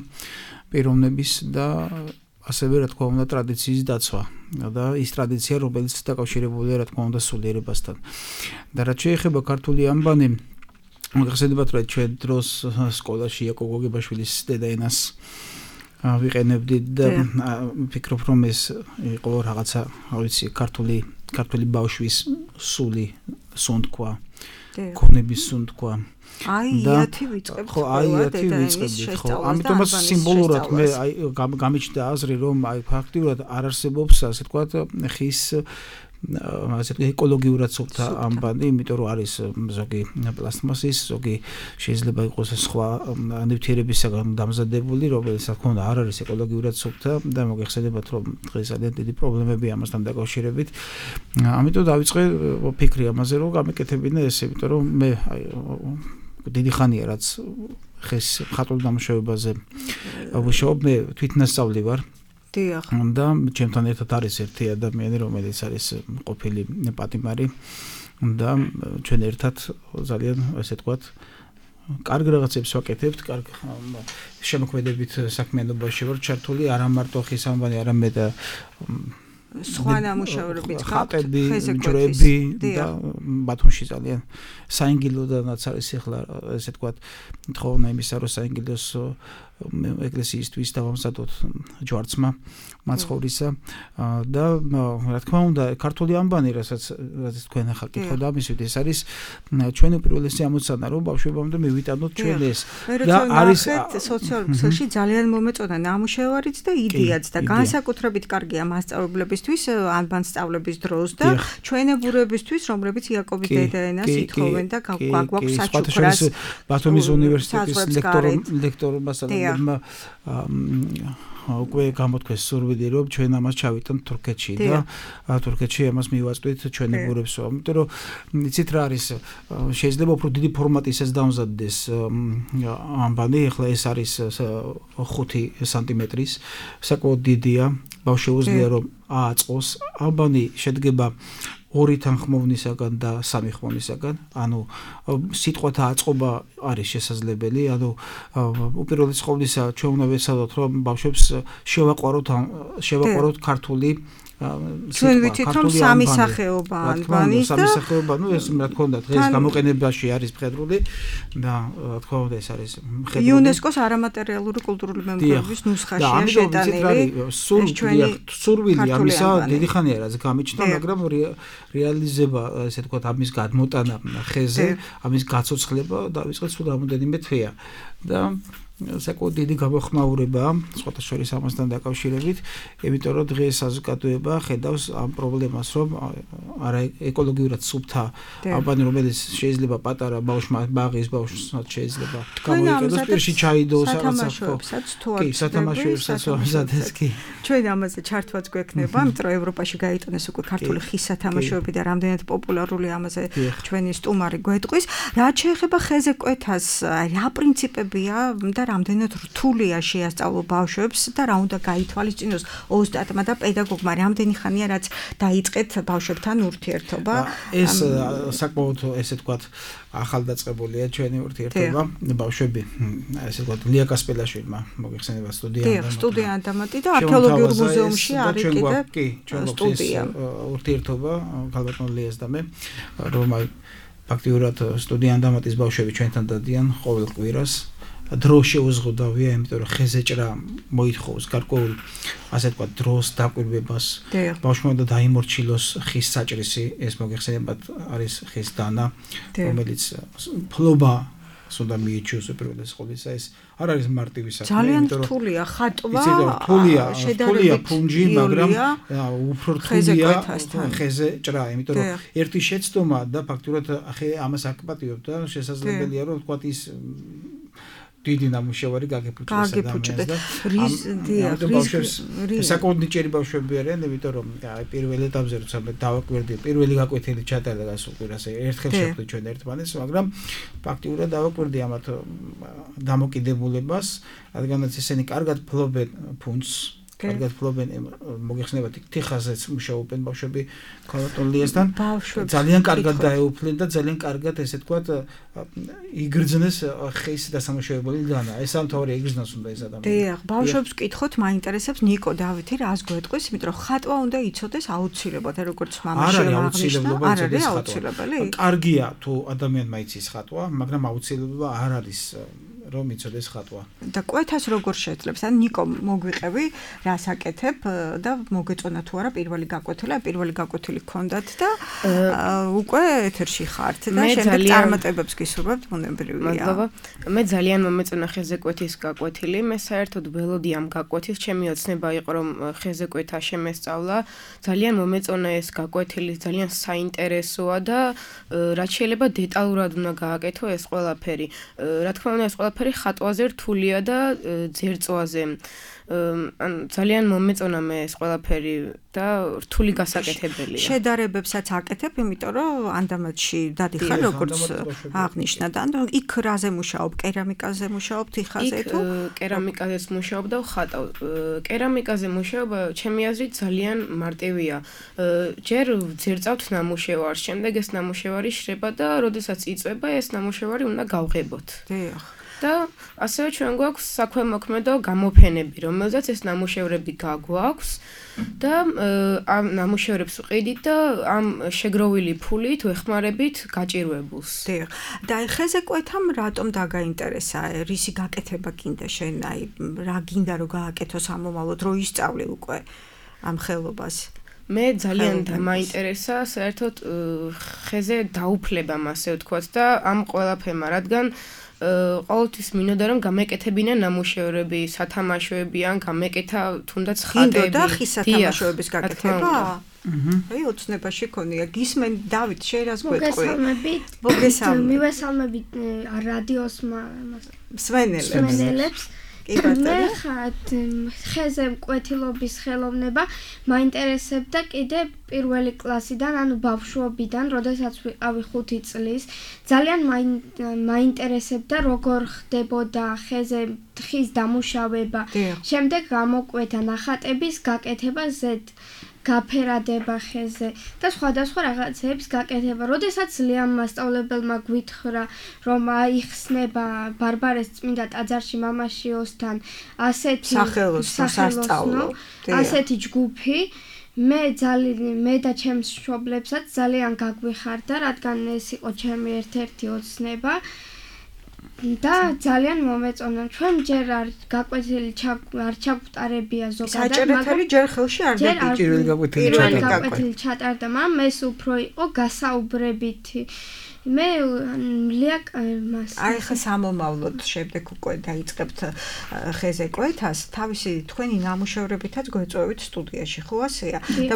პიროვნების და ასევე რა თქმა უნდა ტრადიციის დაცვა და ის ტრადიცია რომელიც დაკავშირებულია რა თქმა უნდა სულიერებასთან. და რაც შეეხება ქართული ანბანი მოგხსენებათ რომ ჩვენ დროს სკოლაში იაკო გოგებაშვილის დედაენას ვიყენებდით და ვფიქრობ რომ ეს იყო რაღაცა ვიცი ქართული ბავშვის სული სუნთქვა ქონების სუნთქვა იათი ვიწყებთ ხო იათი ვიწყებთ ხო ამიტომაც სიმბოლურად მე გამიჩნდა აზრი რომ ფაქტიურად არ არსებობს ასე ვთქვათ ხის ეკოლოგიურად სუფთა ანბანი, იმიტომ რომ არის ზოგი პლასტმასის, ზოგი შეიძლება იყოს სხვა ნივთიერებისაგან დამზადებული, რომელიც რა თქმა უნდა არ არის ეკოლოგიურად სუფთა და მოგეხსენებათ რომ დღეს ძალიან დიდი პრობლემები ამასთან დაკავშირებით. ამიტომ დავიწყე ფიქრი ამაზე რომ გამეკეთებინა ეს, იმიტომ რომ მე დიდი ხანია რაც ხეს მხატვრულ დამუშავებაზე ვუშაობ, მე თვითნასწავლი ვარ. და ჩემთან ერთად არის ერთი ადამიანი, რომელიც არის ყოფილი პატიმარი და ჩვენ ერთად ძალიან ესე ვთქვათ კარგ რაღაცებს ვაკეთებთ, კარგ შემოქმედებით საქმიანობაში ვარ ჩართული, არა მარტო ხის ანბანი, არამედ სხვა ნამუშევრებით ხატები, ჯვრები და ბათუმში ძალიან საინგილოდანაც არის ახლა ესე ვთქვათ თხოვნა იმისა რომ საინგილოს ეკლესიისთვის დავამზადოთ ჯვარცმა მაცხოვრისა და რა თქმა უნდა ქართული ანბანი რასაც თქვენ ახლა კითხავთ ამისვით ეს არის ჩვენი პირველი ამოცანა რომ ბავშვებამდე მივიტანოთ ჩვენ ეს და არის სოციალურ ქსელში ძალიან მომეწონა ნამუშევარიც და იდეაც და განსაკუთრებით კარგია მასწავლებლებისთვის ანბანს სწავლების დროს და ჩვენებურებისთვის რომლებიც იაკობის დედაენას ითხოვენ და გვაქვს საჩუქრას ბათუმის უნივერსიტეტის ლექტორობასთან უკვე გამოთქვეს სურვილი რომ ჩვენ ამას ჩავიტანთ თურქეთში და თურქეთში ამას მივაწვით ჩვენებურებს, იმიტომ რომ იცით რა არის შეიძლება უფრო დიდი ფორმატისაც დამზადდეს ანბანი, ახლა ეს არის 5 სანტიმეტრის, საკმაოდ დიდია, ბავშვებია რომ ააწყოს. ანბანი შედგება 2 თანხმოვნისაგან და 3 ხმოვნისაგან, ანუ სიტყვათა აწყობა არის შესაძლებელი, ანუ უპირველეს ყოვლისა ჩვენ უნდა ვეცადოთ რომ ბავშვებს შევაყვაროთ ქართული ჩვენ ვიცით რომ სამი სახეობა ანბანის და სამი სახეობა, ნუ ეს რა თქმა უნდა დღეს გამოყენებაში არის მხედრული და რა თქმა უნდა ეს არის მხედრული იუნესკოს არამატერიალური კულტურული მემკვიდრეობის ნუსხაშია შეტანილი. სურვილი ამისა დიდი ხანია რაც გამიჩნდა, მაგრამ რეალიზება ესე ვთქვათ ამის გადმოტანა ხეზე, ამის გაცოცხლება დავიწყეთ სულ რამოდენიმე თვეა და საკმაოდ დიდი გამოხმაურებაა სხვათა შორის ამასთან დაკავშირებით, იმიტომ რომ დღეს საზოგადოება ხედავს ამ პრობლემას, რომ არა ეკოლოგიურად სუფთა ანბანი, რომელიც შეიძლება პატარა ბავშვმა ბაღის ბავშვსაც შეიძლება გამოიყენოს, პირში ჩაიდოს სათამაშოებსაც თუ არ სათამაშოებსაც ამზადეს კი. ჩვენ ამაზე ჩართვაც გვექნება, იმიტომ რომ ევროპაში გაიტანეს უკვე ქართული ხის სათამაშოები და რამდენად პოპულარული ამაზე ჩვენი სტუმარი გვეტყვის. რაც შეეხება ხეზე კვეთას, რა პრინციპებია და რამდენად რთულია შეასწავლო ბავშვებს და რა უნდა გაითვალისწინოს ოსტატმა და პედაგოგმა, რამდენი ხანია რაც დაიწყეთ ბავშვებთან ურთიერთობა. ეს საკმაოდ ესე ვთქვათ ახალდაწყებულია ჩვენი ურთიერთობა ბავშვები, ესე ვთქვათ ლია კასპელაშვილმა მოგეხსენება სტუდია ანდამატი და არქეოლოგიურ მუზეუმში არის კიდე სტუდია ურთიერთობა ქალბატონ ლიას და მე, რომ ფაქტიურად სტუდია ანდამატის ბავშვები ჩვენთან დადიან ყოველ კვირას დრო შეუზღუდავია, იმიტომ რომ ხეზეჭრა მოითხოვს გარკვეულ ასე თქვა დროს დაკვირვებას. ბავშვმა და დაიმორჩილოს ხის საჭრისი, ეს მოგეხსენებათ არის ხის დანა, რომელიც ფლობა სულ მიეჩვევს უპირველეს ყოვლისა ეს არ არის მარტივი საქმე, ძალიან რთულია ხატვა, რთულია ფუნჯი, მაგრამ უფრო რთულია ხეზე ჭრა, იმიტომ რომ ერთი შეცდომა და ფაქტურად ამას აკპატიობ და შესაძლებელია რომ ვთქვათ ის დიდი ნამუშევარი გაგეფუჭდეს ადამიანს და საკუთარი ნიჭიერი ბავშვები არიან, იმიტომ რომ პირველ ეტაპზე როცა მე დავაკვირდი, პირველი გაკვეთილი ჩატარდა გასულკვირას ერთხელ შეხვდი ჩვენ ერთმანეთს, მაგრამ ფაქტიურად დავაკვირდი ამათ დამოკიდებულებას, რადგანაც ისინი კარგად ფლობენ ფუნჯს, კარგად ფლობენ მოგეხსენებათ თიხაზეც მუშაობენ ბავშვები ქალატონლიასთან, ძალიან კარგად დაეუფლნენ და ძალიან კარგად ესე ვთქვათ იგრძნეს ხის დასამუშავებელი დანა. ეს ამთავარი იგრძნოს უნდა ეს ადამიანი. დიახ, ბავშვებს ვკითხოთ, მაინტერესებს ნიკო დავითი რას გვეტყვის, იმიტომ რომ ხატვა უნდა იცოდეს აუცილებლად, როგორც მამაშვილმა აღნიშნა, არ არის აუცილებელი. კარგია თუ ადამიანმა იცის ხატვა, მაგრამ აუცილებლობა არ არის რომ იცოდეს ხატვა. და კვეთას როგორ შეძლებს? ან ნიკო მოგვიყევი, რას აკეთებ და მოგეწონა თუ არა პირველი გაკვეთილი, პირველი გაკვეთილი გქონდათ და უკვე ეთერში ხართ და შემდეგ წარმატებებს გისურვებთ, ბუნებრივია. მადლობა. მე ძალიან მომეწონა ხეზეკვეთის გაკვეთილი. მე საერთოდ ველოდი ამ გაკვეთის, ჩემი ოცნება იყო რომ ხეზეკვეთა შემესწავლა. ძალიან მომეწონა ეს გაკვეთილი, ძალიან საინტერესოა და რაც შეიძლება დეტალურად უნდა გააკეთო ეს ყველაფერი. რა თქმა უნდა ეს ყველაფერი ხატვაზე რთულია და ძერწვაზე. ძალიან მომეწონა მე ეს ყველაფერი და რთული გასაკეთებელია. შედარებებსაც აკეთებ, იმიტომ რომ ანდამატში დადიხარ, როგორც აღნიშნა და იქ რაზე მუშაობ, კერამიკაზე მუშაობ, თიხაზე თუ კერამიკაზეც მუშაობ და ვხატავ. კერამიკაზე მუშაობა ჩემი აზრით ძალიან მარტივია. ჯერ ვძერწავთ ნამუშევარს, შემდეგ ეს ნამუშევარი შრება და როდესაც იწვება ეს ნამუშევარი უნდა გავღებოთ. დიახ. და ასევე ჩვენ გვაქვს საქვემოქმედო გამოფენები, რომელზეც ეს ნამუშევრები გაგვაქვს და ამ ნამუშევრებს ვყიდით და ამ შეგროვილი ფულით ვეხმარებით გაჭირვებულს. დიახ. და ხეზეკვეთამ რატომ დაგაინტერესა? რისი გაკეთება გინდა შენ? აი რა გინდა რომ გააკეთო სამომავლოდ, რო ისწავლე უკვე ამ ხელობას? მე ძალიან დამაინტერესა საერთოდ ხეზე დაუფლებამ, ასე ვთქვათ და ამ ყველაფერმა, რადგან ყოველთვის მინდოდა რომ გამეკეთებინა ნამუშევრები, სათამაშოები ან გამეკეთა თუნდაც ხატები და ხის სათამაშოების გაკეთება? აი ოცნებაში ქონია. გისმენ დავით, შენ რას გვეტყვი? მოგესალმებით. მივესალმებით რადიოს მსმენელებს. მე ხეზე მკვეთილობის ხელოვნება მაინტერესებდა კიდე პირველი კლასიდან, ანუ ბავშვობიდან, როდესაც ვიყავი 5 წლის. ძალიან მაინტერესებდა როგორ ხდებოდა ხეზე ხის დამუშავება. შემდეგ გამოკვეთა ნახატების გაკეთება ზედ გაფერადება ხეზე და სხვადასხვა რაღაცების გაკეთება. როდესაც ლეამ მასწავლებელმა გვითხრა, რომ აიხსნება ბარბარეს წმინდა ტაძარში მამაშიოსთან ასეთი სახელოსნო, ასეთი ჯგუფი, მე და ჩემს მშობლებსაც ძალიან გაგვიხარდა, რადგან ეს იყო ჩემი ერთ-ერთი ოცნება. და ძალიან მომეწონა. ჩვენ ჯერ არ გაკვეთილი არ ჩაგვტარებია ზოგადად, მაგრამ ჯერ ხელში არ პირველი გაკვეთილი ჩატარდა, მაგრამ ეს უფრო იყო გასაუბრებითი. მე ლიაკ მას აი ხა სამომავლოდ შემდეგ უკვე დაიწყებთ ხეზეკვეთას, თავისი თქვენი ნამუშევრებითაც გვეწვევით სტუდიაში, ხო ასეა? და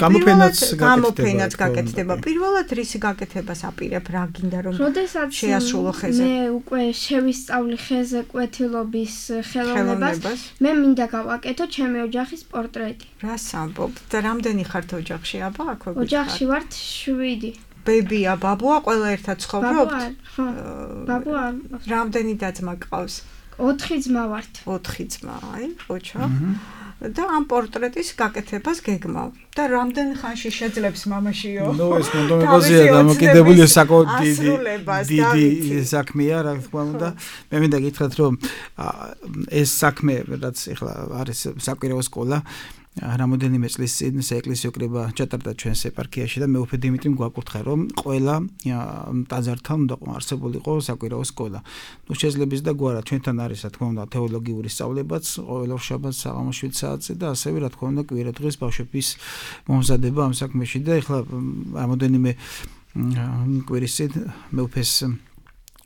გამოფენაც გაკეთდება. პირველად რისი გაკეთებას აპირებ, რა გინდა რომ შეასრულო ხეზე? მე უკვე შევისწავლი ხეზეკვეთილობის ხელოვნებას. მე მინდა გავაკეთო ჩემი ოჯახის პორტრეტი. რას ამბობ? და რამდენი ხართ ოჯახში, აბა? აქ ვიყავ. ოჯახში ვართ 7. ბებია, ბაბუა, ყველა ერთად ცხოვრობთ? ხო, ბაბუა. რამდენი და-ძმა გყავს? 4 ძმა ვართ. 4 ძმა, აი, ოჩა. და ამ პორტრეტის გაკეთებას გეგმავ. და რამდენ ხანში შეძლებს მამაშიო? ნუ ეს მონდომებაზეა დამოკიდებული საკმაოდ დიდი საქმეა, რა თქმა უნდა. მე მინდა გითხრათ, რომ ეს საქმე, რაც ახლა არის საკვირაო სკოლა, რამოდენიმე წლის წინ საეკლესიო კრება ჩატარდა ჩვენს ეპარქიაში და მეუფე დიმიტრიმ გვაკურთხა, რომ ყველა ტაძართან უნდა არსებულიყო საკვირაო სკოლა. ნუ შეიძლება ის და გვარა ჩვენთან არის, რა თქმა უნდა, თეოლოგიური სწავლებაც, ყოველ შაბათს საღამოს 7 საათზე და ასევე რა თქმა უნდა კვირადღეს ბავშვების მომზადება ამ საქმეში და ეხლა რამოდენიმე კვირის წინ მეუფეს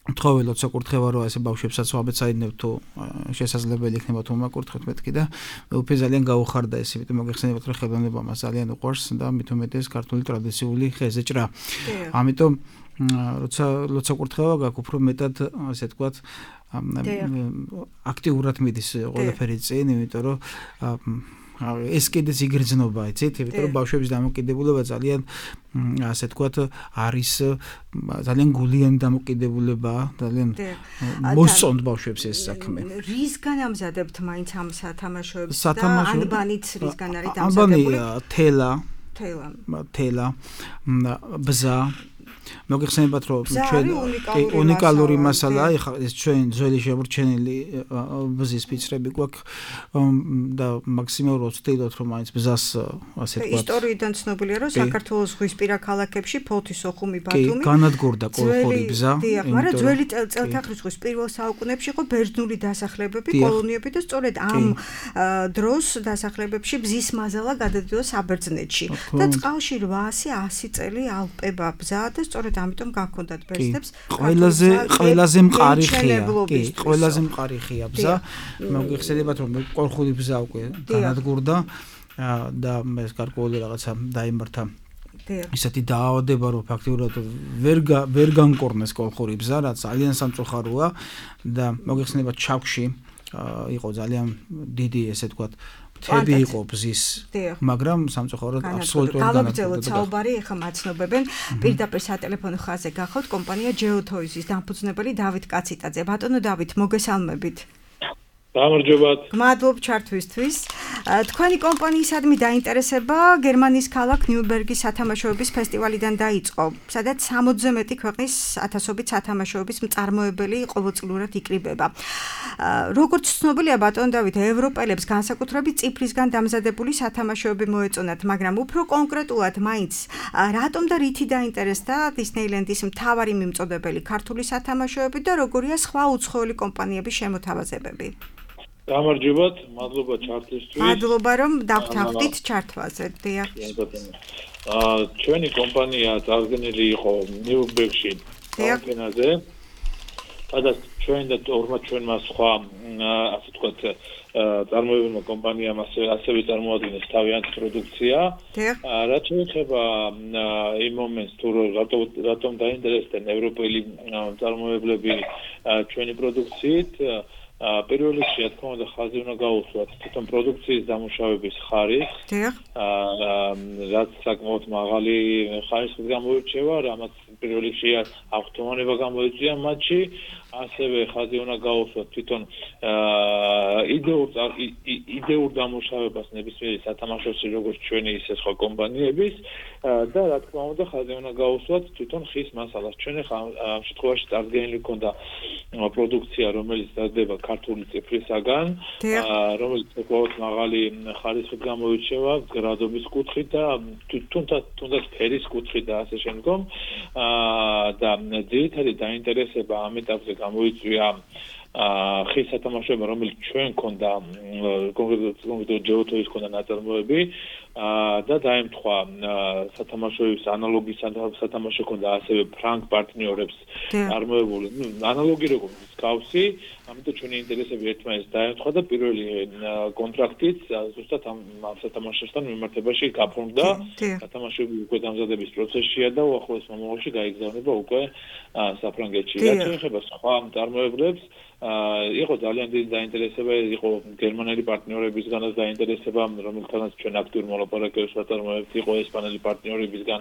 თხოველოთ საკურთხევა რო ასე ბავშვებსაც ვაბეცაინებთ თუ შესაძლებელი იქნება თუ მაკურთხეთ მეთქი და მეუფე ძალიან გაუხარდა ეს, იმიტომ მოგეხსენებათ რომ ხელოვნება მას ძალიან უყვარს და მით უმეტეს ქართული ტრადიციული ხეზეჭრა. ამიტომ როცა კურთხევა გაქვს უფრო მეტად ასე თქვათ აქტიურად მიდის ყველაფერი წინ, იმიტომ რომ ეს კიდეც იგრძნობა, იცით, იმიტომ რომ ბავშვების დამოკიდებულება ძალიან ასე თქვათ არის ძალიან გულიანი დამოკიდებულება, ძალიან მოსწონთ ბავშვებს ეს საქმე. რისგან ამზადებთ მაინც ამ სათამაშოებს და ანბანიც რისგან არის დამზადებული? ანბანი თელა, ბზა მოგეხსენებათ რომ ჩვენ უნიკალური მასალაა, ეხლა ეს ჩვენ ძველი შემორჩენილი ბზის ფიცრები გვაქვს და მაქსიმალურად ვცდილობთ რომ მაინც ბზას ასე თქვა. ისტორიიდან ცნობილია რომ საქართველოს ზღვისპირა ქალაქებში ფოთი, სოხუმი, ბათუმი განადგურდა კოლხური ბზა. მაგრამ ძველი წელთაღრიცხვის ზღვის პირველ საუკუნეებში იყო ბერძნული დასახლებები, კოლონიები და სწორედ ამ დროს დასახლებებში ბზის მაზალა გადადიოდა საბერძნეთში და წყალში 800-100 წელი ალპება ბზა და სწორედ ამიტომ გაქონდათ ბერძნებს ყველაზე მყარი ხია. კი, ყველაზე მყარი ხია ბზა. მოგეხსენებათ რომ კოლხური ბზა უკვე განადგურდა და ეს გარკვეული რაღაცა დაიმართა. ისეთი დაავადება რომ ფაქტიურად ვერ განკორნეს კოლხური ბზა, რაც ძალიან სამწუხაროა და მოგეხსენებათ ჩაქვში იყო ძალიან დიდი ესე თქვათ თები იყო ბზის, მაგრამ სამწუხაროდ აბსოლუტურად განაგრძელოთ საუბარი, ეხლა მაცნობებენ პირდაპირ სატელეფონო ხაზზე გახავთ კომპანია GeoToys-ის დამფუძნებელი დავით კაციტაძე. ბატონო დავით, მოგესალმებით. გამარჯობათ. მადლობ ჩართვისთვის. თქვენი კომპანიისადმი დაინტერესება გერმანიის ქალაქ ნიურნბერგის სათამაშოების ფესტივალიდან დაიწყო, სადაც 60-ზე მეტი ქვეყნის ათასობით სათამაშოების მწარმოებელი ყოველწლიურად იკრიბება. როგორც ცნობილია ბატონ დავით, ევროპელებს განსაკუთრებით ციფრისგან დამზადებული სათამაშოები მოეწონათ, მაგრამ უფრო კონკრეტულად მაინც რატომ და რითი დაინტერესდა დისნეილენდის მთავარი მიმწოდებელი ქართული სათამაშოები და როგორია სხვა უცხოელი კომპანიების შემოთავაზებები? გამარჯობათ, მადლობა ჩართვისთვის. მადლობა რომ დავთავდით ჩართვაზე. დიახ. ჩვენი კომპანია წარდგენილი იყო ნიურნბერგში არენაზე. სადაც ჩვენ და ჩვენმა სხვა ასე ვთქვათ წარმოებულმა კომპანიამ ასევე წარმოადგენს თავიანთი პროდუქცია. რაც შეეხება იმ მომენტს თუ რატომ დაინტერესდნენ ევროპელი წარმოებლები ჩვენი პროდუქციით, პირველ რიგში რა თქმა უნდა ხაზი უნდა გაუსვათ თვითონ პროდუქციის დამუშავების ხარისხს, რაც საკმაოდ მაღალი ხარისხით გამოირჩევა, რამაც პირველ რიგში ავტომატურობა გამოიწვია მათში, ასევე ხაზი უნდა გაუსვათ თვითონ იდეურ დამუშავებას ნებისმიერი სათამაშოში, როგორც ჩვენი ისე სხვა კომპანიების და რა თქმა უნდა ხაზი უნდა გაუსვათ თვითონ ხის მასალას. ჩვენ ახლა ამ შემთხვევაში წარდგენილი ქონდა პროდუქცია, რომელიც დადება ქართული ციფრისაგან, რომელიც საკმაოდ მაღალი ხარისხით გამოირჩევა, გრადობის კუთხით და თუნდაც ფერის კუთხით და ასე შემდგომ. და ძირითადი დაინტერესება ამ ეტაპზე გამოიწვია ხის სათამაშოება, რომელიც ჩვენ ქონდა კონკრეტულად GeoToys ქონდა ნაწარმოები და დაემთხვა სათამაშოების ანალოგი სათამაშო ქონდა ასევე ფრანგ პარტნიორებს წარმოებული, ანალოგი როგორც მსგავსი, ამიტომ ჩვენი ინტერესები ერთმანეთს დაემთხვა და პირველი კონტრაქტიც ზუსტად ამ სათამაშოსთან მიმართებაში გაფორმდა. სათამაშოები უკვე დამზადების პროცესშია და უახლოეს მომავალში გაიგზავნება უკვე საფრანგეთში. რაც შეეხება სხვა წარმოებლებს, იყო ძალიან დიდი დაინტერესება, იყო გერმანელი პარტნიორებისგანაც დაინტერესება, რომელთანაც ჩვენ აქტიურ მოლაპარაკებებს ვაწარმოებთ, იყო ესპანელი პარტნიორებისგან,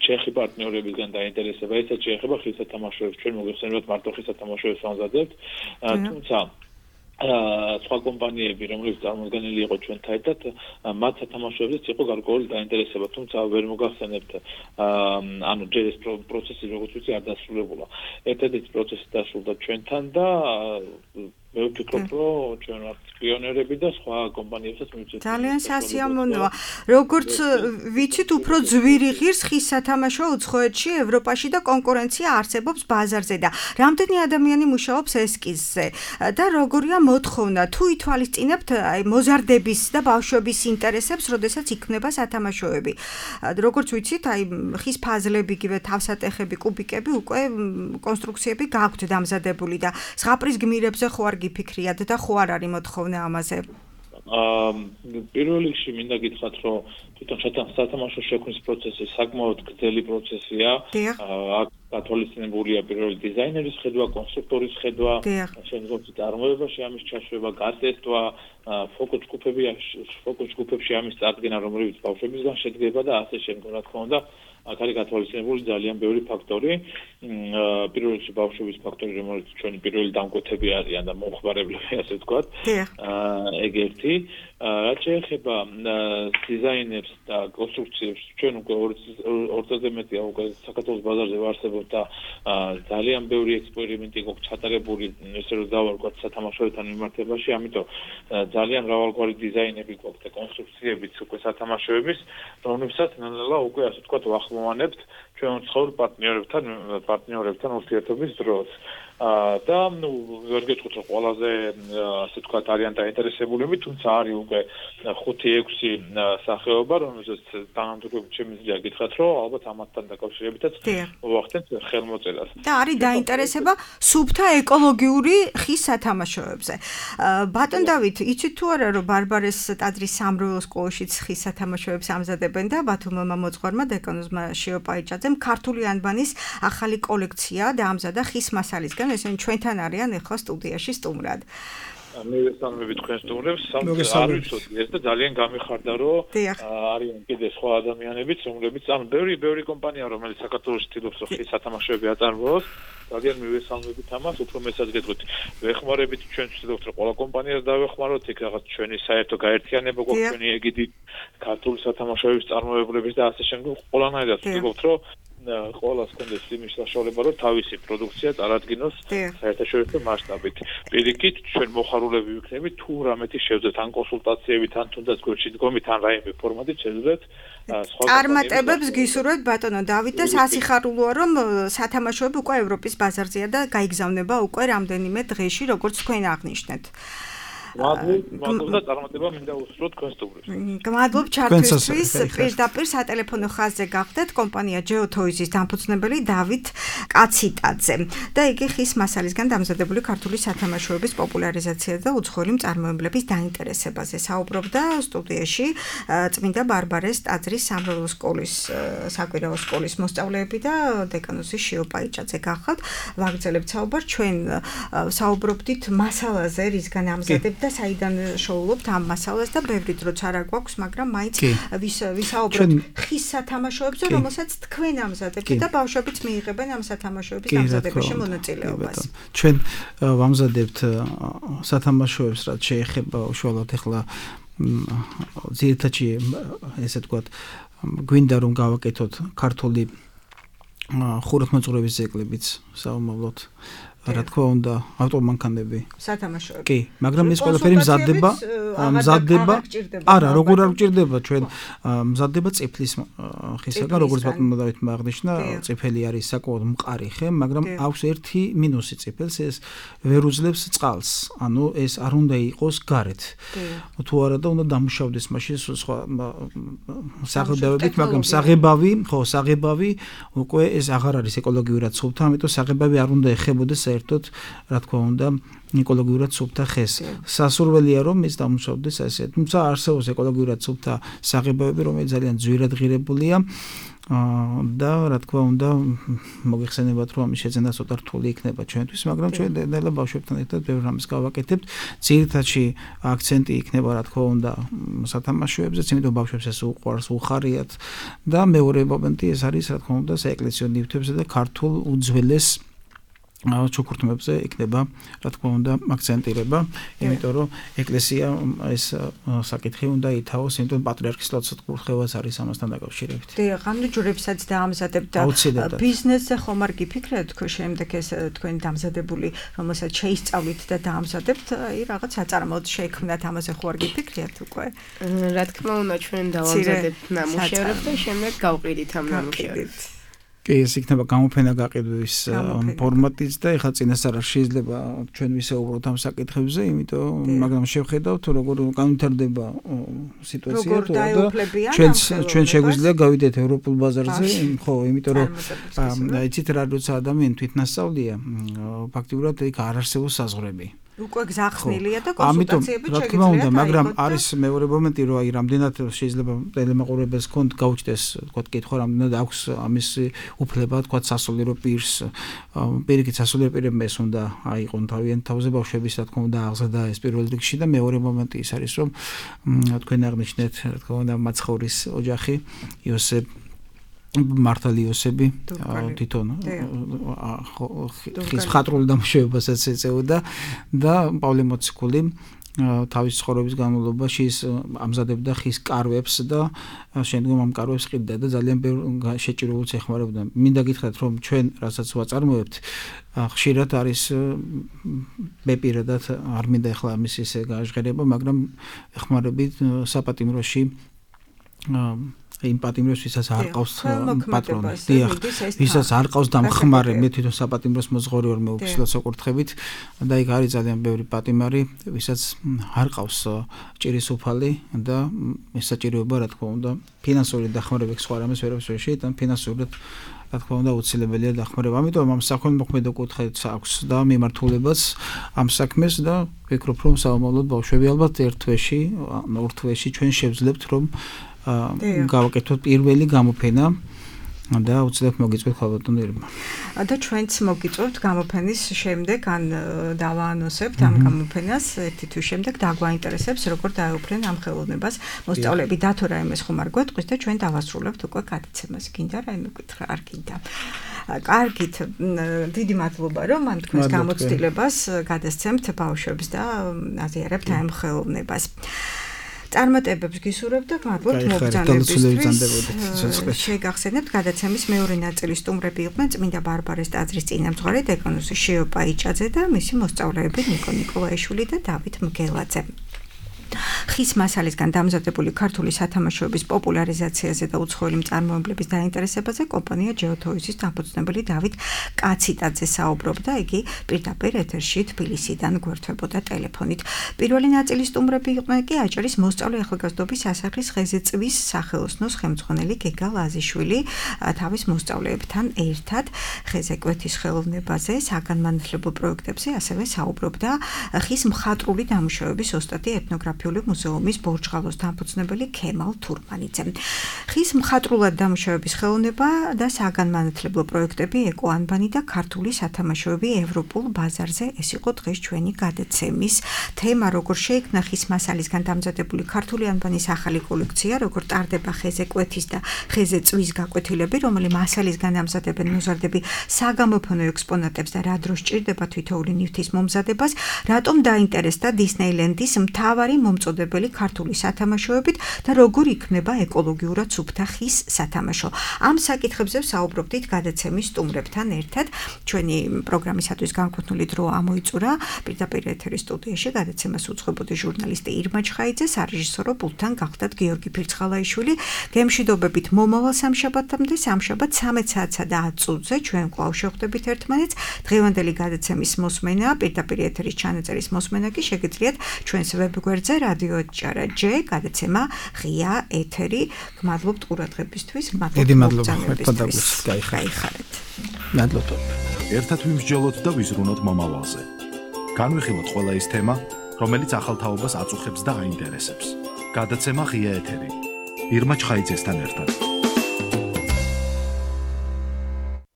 ჩეხი პარტნიორებისგან დაინტერესება, ესაც შეეხება ხის სათამაშოებს, ჩვენ მოგეხსენებათ მარტო ხის სათამაშოებს ვამზადებთ, თუმცა სხვა კომპანიები, რომლებიც წარმოდგენილი იყო ჩვენთან ერთად, მათ სათამაშოებზეც იყო გარკვეული დაინტერესება, თუმცა ვერ მოგახსენებთ, ანუ ჯერ ეს პროცესი როგორც ვიცი არ დასრულებულა. ერთადერთი პროცესი დასრულდა ჩვენთან და მე ვფიქრობ, რომ ჩვენ ვართ პიონერები და სხვა კომპანიებსაც მივცეთ. ძალიან სასიამოვნოა. როგორც ვიცით, უფრო ძვირი ღირს ხის სათამაშო უცხოეთში, ევროპაში და კონკურენცია არსებობს ბაზარზე და რამდენი ადამიანი მუშაობს ესკიზზე და როგორია მოთხოვნა თუ ითვალისწინებთ აი მოზარდების და ბავშვების ინტერესებს, როდესაც იქმნება სათამაშოები. როგორც ვიცით, აი ხის ფაზლები, იგივე თავსატეხები, კუბიკები უკვე კონსტრუქციები გაქვთ დამზადებული და ზღაპრის გმირებზე ხო არ გიფიქრიათ და ხო არ არის მოთხოვნა ამაზე? პირველ რიგში მინდა გითხრათ, რომ თვითონ სათამაშო შექმნის პროცესი საკმაოდ გრძელი პროცესია. აქ გათვალისწინებულია პირველი დიზაინერის ხედვა, კონსტრუქტორის ხედვა, შემდგომში წარმოებაში ამის ჩაშვება, გატესტვა, ფოკუს ჯგუფებში ამის წარდგენა, რომლებიც ბავშვებისგან შედგება და ასე შემდგომ, რა თქმა უნდა, აქ არის გათვალისწინებული ძალიან ბევრი ფაქტორი. პირველ რიგში ბავშვების ფაქტორი, რომელიც ჩვენი პირველი დამკვეთები არიან და მომხმარებლები, ასე ვთქვათ. ეგ ერთი. რაც შეეხება დიზაინერს და კონსტრუქციებს, ჩვენ უკვე 2 წელზე მეტია უკვე საქართველოს ბაზარზე ვარსებობთ და ძალიან ბევრი ექსპერიმენტი გვაქვს ჩატარებული, ესე რომ დავარქვათ სათამაშოებთან მიმართებაში, ამიტომ ძალიან მრავალგვარი დიზაინები გვაქვს და კონსტრუქციებიც უკვე სათამაშოების, რომლებსაც ნელ-ნელა უკვე ასე ვთქვათ ვახმოვანებთ ჩვენ მცხოვრ პარტნიორებთან ურთიერთობის დროს. და ვერ გეტყვით რომ ყველაზე ასე ვთქვათ არიან დაინტერესებულები, თუმცა არის უკვე 5-6 სახეობა, რომელსაც თანამდებობებით შემიძლია გითხრათ, რომ ალბათ ამათთან დაკავშირებითაც მოვახდენთ ხელმოწერას. და არის დაინტერესება სუფთა ეკოლოგიური ხის სათამაშოებზე. ბატონ დავით, იცით თუ არა რომ ბარბარეს ტაძრის სამრევლო სკოლაშიც ხის სათამაშოებს ამზადებენ და ბათუმმა მოძღვარმა დეკანოზმა შეოპაიჭაძემ ქართული ანბანის ახალი კოლექცია დაამზადა ხის მასალისგან. ესენი ჩვენთან არიან ახლა სტუდიაში სტუმრად. მე ვესალმები თქვენ სტუმრებს, არ ვიცოდი ეს და ძალიან გამიხარდა, რომ არიან კიდე სხვა ადამიანებიც, რომლებიც ამ ბევრი კომპანია, რომელიც საქართველოს ცდილობს რომ ხის სათამაშოები აწარმოოს, ძალიან მივესალმებით ამას, უფრო მეცაც გეტყვით. ვეხმარებით ჩვენ ვცდილობთ რომ ყველა კომპანიას დავეხმაროთ, იქ რაღაც ჩვენი საერთო გაერთიანება გვაქვს, ჩვენი ეგიდით ქართული სათამაშოების წარმოებლების და ასე შემდგომ ყველანაირად ვცდილობთ რომ ყველას კონდეს იმის საშუალება, რომ თავისი პროდუქცია წარადგინოს საერთაშორისო მასშტაბით. პირიქით, ჩვენ მოხარულები ვიქნებით, თუ რამეთი შევძეთ ან კონსულტაციებით, ან თუნდაც გვერდში დგომით, ან რაიმე ფორმატით შევძეთ სხვა წარმატებებს გისურვებთ ბატონო დავით და სასიხარულოა, რომ სათამაშოები უკვე ევროპის ბაზარზეა და გაიგზავნება უკვე რამდენიმე დღეში, როგორც თქვენ აღნიშნეთ. მადლობა წარმატება მინდა უსურვოთ თქვენ სტუმრებს. გმადლობ ჩართვისთვის. პირდაპირ სატელეფონო ხაზზე გახდეთ კომპანია GeoToys-ის დამფუძნებელი დავით კაციტაძე და იგი ხის მასალისგან დამზადებული ქართული სათამაშოების პოპულარიზაცია და უცხოელი მწარმოებლების დაინტერესებაზე საუბრობდა სტუდიაში წმინდა ბარბარეს ტაძრის სამრევლო სკოლის საკვირაო სკოლის მოსწავლეები და დეკანოზი შეოპაიჭაძე გახავთ. ვაგრძელებთ საუბარს, ჩვენ საუბრობდით მასალაზე, რისგან ამზადებთ და საიდან შოულობთ ამ მასალას და ბევრი დროც არ გვაქვს, მაგრამ მაინც ვისაუბროთ ხის სათამაშოებზე, რომელსაც თქვენ ამზადებთ და ბავშვებიც მიიღებენ ამ სათამაშოების ამზადებაში მონაწილეობას. ჩვენ ვამზადებთ სათამაშოებს, რაც შეეხება უშუალოდ ახლა ძირითადად ესე ვთქვათ, გვინდა რომ გავაკეთოთ ქართული ხუროთმოძღვრების ძეგლებიც საომავლოდ. რა თქმა უნდა, ავტომანქანები. სათამაშოები. კი, მაგრამ ეს ყველაფერი მზადდება. არა, როგორ არ გჭირდება ჩვენ მზადდება წიფლის ხისაგან, როგორც ბატონმა დავითმა აღნიშნა, წიფელი არის საკმაოდ მყარი ხე, მაგრამ აქვს ერთი მინუსი წიფელს, ეს ვერ უძლებს წყალს. ანუ ეს არ უნდა იყოს გარეთ. თუ არა და უნდა დამუშავდეს მაშინ სხვა საღებავებით, მაგრამ საღებავი უკვე ეს აღარ არის ეკოლოგიურად სუფთა, ამიტომ საღებავი არ უნდა ეხებოდეს საერთოდ, რა თქმა უნდა, ეკოლოგიურად სუფთა ხეს. სასურველია რომ ის დამუშავდეს ასე. თუმცა არსებობს ეკოლოგიურად სუფთა საღებავები, რომელიც ძალიან ძვირად ღირებულია და რა თქმა უნდა, მოგეხსენებათ რომ ამის შეძენა ცოტა რთული იქნება ჩვენთვის, მაგრამ ჩვენ ნელა ბავშვებთან ერთად ბევრ რამეს გავაკეთებთ. ძირითადში აქცენტი იქნება რა თქმა უნდა სათამაშოებზე, იმიტომ ბავშვებს ეს უყვარს, უხარიათ და მეორე მომენტი ეს არის რა თქმა უნდა საეკლესიო ნივთებზე და ქართულ უძველეს ჩუქურთმებზე იქნება, რა თქმა უნდა, აქცენტირება, იმიტომ რომ ეკლესია ეს საკითხი უნდა ითავოს, იმიტომ პატრიარქის ლოცვა-კურთხევაც არის ამასთან დაკავშირებით. დიახ, ამ ჯვრებსაც დაამზადებთ და ბიზნესზე ხომ არ გიფიქრეთ თქვენ შემდეგ ეს თქვენი დამზადებული, რომელსაც შეისწავლით და დაამზადებთ, აი რაღაც საწარმოოდ შეექმნათ, ამაზე ხო არ გიფიქრიათ უკვე? რა თქმა უნდა, ჩვენ დავამზადებთ ნამუშევრებს და შემდეგ გავყიდით ამ ნამუშევრებს. ეს იქნება გამოფენა გაყიდვის ფორმატიც და ეხლა წინასწარ შეიძლება ჩვენ ვისაუბროთ ამ საკითხებზე, იმიტომ მაგრამ შევხედავთ როგორ განვითარდება სიტუაცია თუ ჩვენ შეგვიძლია გავიდეთ ევროპულ ბაზარზე, ხო, იმიტომ რომ იცით რა როცა ადამიანი თვითნასწავლია, ფაქტიურად იქ არ არსებობს საზღვრები. უკვე გზახსნილია და კონსულტაციები რა თქმა უნდა, მაგრამ არის მეორე მომენტი, რომ აი რამდენად შეიძლება ტელემაყურებელს კონტ გაუჩნდეს, თქვა კითხვა, რამდენად აქვს ამის უფლება, თქვა სასულიერო პირს, პირიქით სასულიერო პირებმა ეს უნდა აიყონ თავიანთ თავზე ბავშვების, რა თქმა უნდა, აღზრდა ეს პირველ რიგში და მეორე მომენტი ის არის, რომ თქვენ აღნიშნეთ, რა თქმა უნდა, მაცხოვრის ოჯახი, იოსებ მართალი იოსები თვითონ ხის მხატვრული დამუშავებასაც ეწეოდა და პავლე მოციქული თავის ცხოვრების განმავლობაში ამზადებდა ხის კარვებს და შემდგომ ამ კარვებს ყიდდა და ძალიან ბევრ შეჭირულს ეხმარებოდა. მინდა გითხრათ, რომ ჩვენ რასაც ვაწარმოებთ, ხშირად არის მე პირადად არ მინდა ახლა ამის ესე გაჟღერება, მაგრამ ეხმარებით საპატიმროში იმ პატიმრებს, ვისაც არ ყავს პატრონი. დიახ, ვისაც არ ყავს დამხმარე, მე თვითონ საპატიმროს მოძღორი ვარ, მე უფსილად საკურთხებით და იქ არის ძალიან ბევრი პატიმარი, ვისაც არ ყავს ჭირის უფალი და ეს საჭიროება, რა თქმა უნდა, ფინანსური დახმარება სხვა რამეს ვერაფერს ვერ შეიძლება, ფინანსურად რა თქმა უნდა უცილებელია დახმარება. ამიტომ ამ საქველმოქმედო კუთხეც აქვს და მიმართულებაც ამ საქმეს და ვფიქრობ, რომ საომავლოდ ბავშვები ალბათ ერთ თვეში, ორ თვეში ჩვენ შევძლებთ, რომ გავაკეთოთ პირველი გამოფენა და უცებ მოგიწევთ ხალბატონო ირმა. და ჩვენც მოგიწევთ გამოფენის შემდეგ ან დავაანონსებთ ამ გამოფენას ერთი თვის შემდეგ დაგვაინტერესებს როგორ დაეუფლენ ამ ხელოვნებას მოსწავლეები და თუ რაიმეს ხომ არ გვეტყვის და ჩვენ დავასრულებთ უკვე გადაცემას. გინდა რაიმე კითხვა? არ გინდა. კარგით, დიდი მადლობა რომ ამ თქვენს გამოცდილებას გადასცემთ ბავშვებს და აზიარებთ ამ ხელოვნებას. წარმატებებს გისურვებთ და მადლობთ მოგზაურობისთვის. შეგახსენებთ გადაცემის მეორე ნაწილის სტუმრები იყვნენ წმინდა ბარბარეს ტაძრის წინამძღვარი დეკანოზი შიო პაიჭაძე და მისი მოსწავლეები ნიკო ნიკოლაიშვილი და დავით მგელაძე. ხის მასალისგან დამზადებული ქართული სათამაშოების პოპულარიზაციაზე და უცხოელი მწარმოებლების დაინტერესებაზე კომპანია ჯეოთოიზის დამფუძნებელი დავით კაციტაძე საუბრობდა, იგი პირდაპირ ეთერში თბილისიდან გვერდებოდა ტელეფონით. პირველი ნაწილის სტუმრები იყვნენ კი აჭარის მოსწავლე ახალგაზრდობის სასახლის ხეზეწვის სახელოსნოს ხელმძღვანელი გეგა ლაზიშვილი თავის მოსწავლეებთან ერთად ხეზეკვეთის ხელოვნებაზე, საგანმანათლებლო პროექტებზე ასევე საუბრობდა ხის მხატვრული დამუშავების ოსტატი ეთნოგრაფიული მუზეუმის ბორჯღალოს დამფუძნებელი ქემალ თურმანიძე. ხის მხატვრულად დამუშავების ხელოვნება და საგანმანათლებლო პროექტები ეკო ანბანი და ქართული სათამაშოები ევროპულ ბაზარზე ეს იყო დღეს ჩვენი გადაცემის თემა, როგორ შეიქმნა ხის მასალისგან დამზადებული ქართული ანბანის ახალი კოლექცია, როგორ ტარდება ხეზეკვეთის და ხეზეწვის გაკვეთილები, რომელი მასალისგან ამზადებენ მოზარდები საგამოფენო ექსპონატებს და რა დროს ჭირდება თითოეული ნივთის მომზადებას, რატომ დაინტერესდა დისნეილენდის მთავარი მომწოდებელი ქართული სათამაშოებით და როგორ იქნება ეკოლოგიურად სუფთა ხის სათამაშო. ამ საკითხებზე საუბრობდით გადაცემის სტუმრებთან ერთად. ჩვენი პროგრამისათვის განკუთვნილი დრო ამოიწურა პირდაპირ ეთერის სტუდიაში გადაცემას უძღვებოდი ჟურნალისტი ირმა ჩხაიძე, სარეჟისორო პულტთან გახდათ გიორგი ფირცხალაიშვილი. გემშვიდობებით მომავალ სამშაბათამდე, სამშაბათ 13 საათსა და 10 წუთზე ჩვენ კვლავ შევხვდებით ერთმანეთს. დღევანდელი გადაცემის მოსმენა, პირდაპირ ეთერის ჩანაწერის მოსმენა კი შეგიძლიათ ჩვენს ვებგვერდზე რადიო ჭარა J გადაცემა ღია ეთერი. გმადლობთ ყურადღებისთვის, მადლობა. გაიხარეთ. მადლობა. ერთად ვიმსჯელოთ და ვიზრუნოთ მომავალზე. განვიხილოთ ყველა ის თემა, რომელიც ახალ თაობას აწუხებს და აინტერესებს. გადაცემა ღია ეთერი. ირმა ჩხაიძესთან ერთად.